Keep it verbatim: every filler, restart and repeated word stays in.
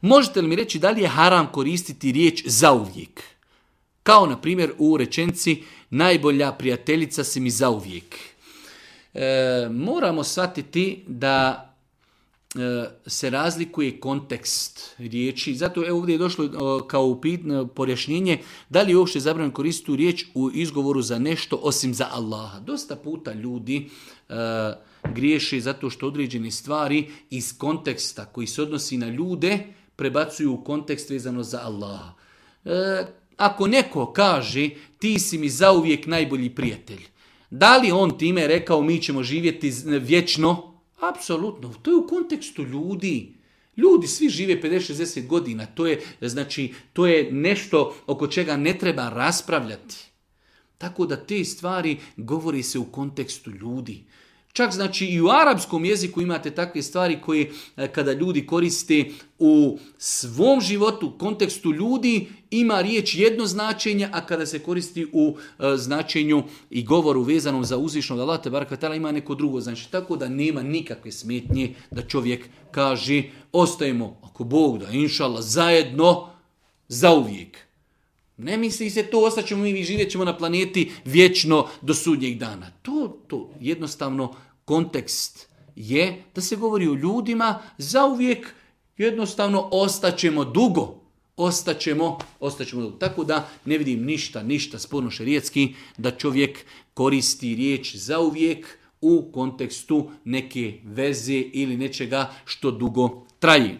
Možete li mi reći da li je haram koristiti riječ zauvijek? Kao na primjer u rečenici najbolja prijateljica si mi zauvijek. E, moramo shvatiti da e, se razlikuje kontekst riječi. Zato evo ovdje je došlo e, kao upit, pojašnjenje da li je uopšte zabranjeno koristiti tu riječ u izgovoru za nešto osim za Allaha. Dosta puta ljudi e, griješi zato što određene stvari iz konteksta koji se odnosi na ljude prebacuju u kontekst vezano za Allaha. E, ako neko kaže ti si mi zauvijek najbolji prijatelj, da li on time rekao mi ćemo živjeti vječno? Apsolutno, to je u kontekstu ljudi. Ljudi svi žive pedeset šezdeset godina, to je, znači, to je nešto oko čega ne treba raspravljati. Tako da te stvari govori se u kontekstu ljudi. Čak znači i u arapskom jeziku imate takve stvari koje kada ljudi koriste u svom životu, u kontekstu ljudi, ima riječ jedno značenje, a kada se koristi u e, značenju i govoru vezanom za uzvišnog Allaha te baraka taala ima neko drugo značenje. Tako da nema nikakve smetnje da čovjek kaže ostajemo, ako Bog da, inšallah, zajedno zauvijek. Ne misli se to, ostaćemo mi, živjet ćemo na planeti vječno do sudnjeg dana. To, to jednostavno kontekst je da se govori o ljudima zauvijek, jednostavno ostaćemo dugo. Ostaćemo, ostaćemo dugo. Tako da ne vidim ništa, ništa sporno šerijetski da čovjek koristi riječ zauvijek u kontekstu neke veze ili nečega što dugo traje.